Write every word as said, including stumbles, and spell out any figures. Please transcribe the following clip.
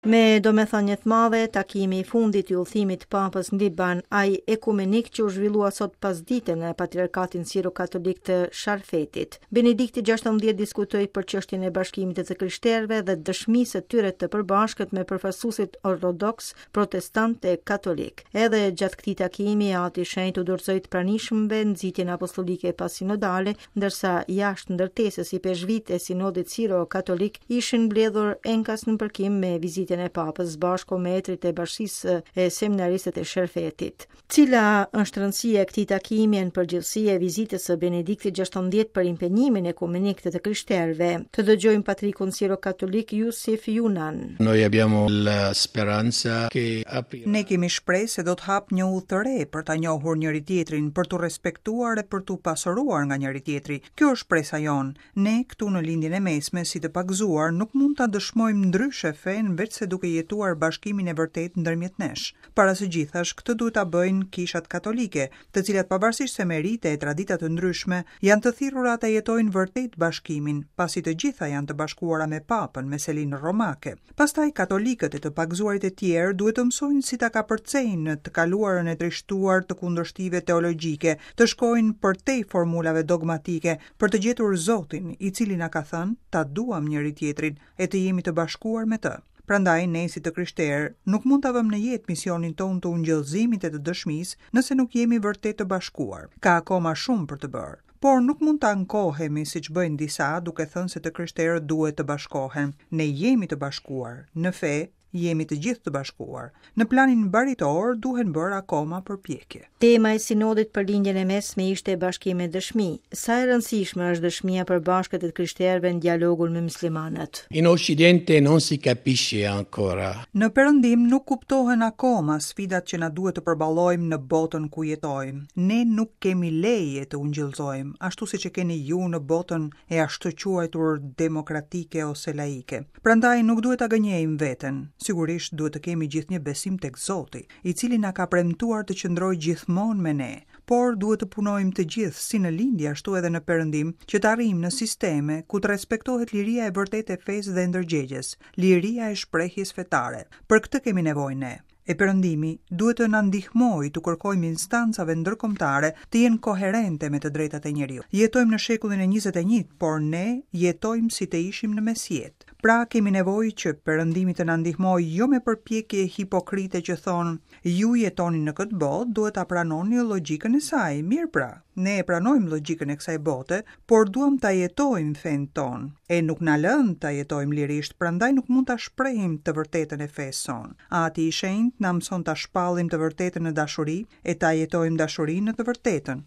Me domethënie të madhe, takimi i fundit i udhëtimit të Papës në Liban, ai ekumenik që u zhvillua sot pasdite në Patriarkatin Siro-Katolik të Sharfetit. Benedikti gjashtëmbëdhjetë diskutoi për çështjen e bashkimit të të krishterëve dhe dëshmisë së tyre të përbashkët me përfaqësuesit ortodoks, protestantë e katolik. Edhe gjatë këtij takimi, Ati i Shenjtë u dorëzoi të pranishmëve nxitjen apostolike pasinodale, ndërsa jashtë ndërtesës ipeshkvit e sinodit siro-katolik ishin mbledhur enkas në përkim me vizitën e Papës bashku me etrit e bashkësisë e seminaristët e Sherfetit. Cila është rëndësia e këtij takimi në përgjithësi e vizitës së Benediktit gjashtëmbëdhjetë për impenjimin ekumenik të të krishterëve? Të dëgjojmë patrikun siro-katolik Jusif Junan. Noi abbiamo la speranza che aprirà Ne kemi shpresë se do të hap një udhë të re për ta njohur njëri tjetrin, për t'u respektuar e për t'u pasuruar nga njëri tjetri. Kjo është shpresa jonë. Ne këtu në Lindjen e Mesme, si të pagëzuar, nuk mund ta dëshmojmë ndryshe fenë veçse duke jetuar bashkimin e vërtet ndërmjet nesh. Para së gjithash, këtë duhet ta bëjnë kishat katolike, të cilat pavarësisht se me rite e tradita të ndryshme, janë të thirrura ta jetojnë vërtet bashkimin, pasi të gjitha janë të bashkuara me Papën, me selinë romake. Pastaj katolikët e të pagëzuarit e tjerë duhet të mësojnë si ta kapërcejnë në të kaluarën e trishtuar të kundërshtive teologjike, të shkojnë përtej formulave dogmatike për të gjetur Zotin, i cili na ka thënë ta duam njëri tjetrin e të jemi të bashkuar me të. Prandaj ne si të krishterë nuk mund ta vëmë në jetë misionin tonë të ungjillzimit e të dëshmisë nëse nuk jemi vërtet të bashkuar. Ka akoma shumë për të bërë, por nuk mund ta ankohemi siç bëjnë disa duke thënë se të krishterët duhet të bashkohen. Ne jemi të bashkuar, në fe jemi të gjithë të bashkuar. Në planin baritor duhen bërë akoma përpjekje. Tema e sinodit për Lindjen e Mesme ishte bashkim e dëshmi. Sa e rëndësishme është dëshmia për bashkët e të krishterëve në dialogun me muslimanët? In Occidente non si capisce ancora. Në Perëndim nuk kuptohen akoma sfidat që na duhet të përballojmë në botën ku jetojmë. Ne nuk kemi leje të ungjillzojmë, ashtu siç e keni ju në botën e ashtu quajtur demokratike ose laike. Prandaj nuk duhet ta gënjejmë veten. Sigurisht duhet të kemi gjithnjë besim tek Zoti, i cili na ka premtuar të qëndrojë gjithmonë me ne, por duhet të punojmë të gjithë, si në lindje ashtu edhe në perëndim, që të arrijmë në sisteme ku të respektohet liria e vërtetë e fesë dhe ndërgjegjes, liria e shprehjes fetare. Për këtë kemi nevojë ne. E perëndimi duhet të na ndihmojë të kërkojmë instancave ndërkombëtare të jenë koherente me të drejtat e njeriut. Jetojmë në shekullin e njëzet e një, por ne jetojmë si të ishim në mesjetë. Pra kemi nevojë që perëndimi të na ndihmojë jo me përpjekje hipokrite që thonë ju jetoni në këtë botë, duhet ta pranoni logjikën e saj. Mirë pra, ne e pranojmë logjikën e kësaj bote, por duam ta jetojmë fenë tonë. E nuk na lënë ta jetojmë lirisht, prandaj nuk mund ta shprehim të vërtetën e fesë sonë. Ati i Shenjtë na mëson ta shpallim të vërtetën në dashuri e ta jetojmë dashurinë në të vërtetën.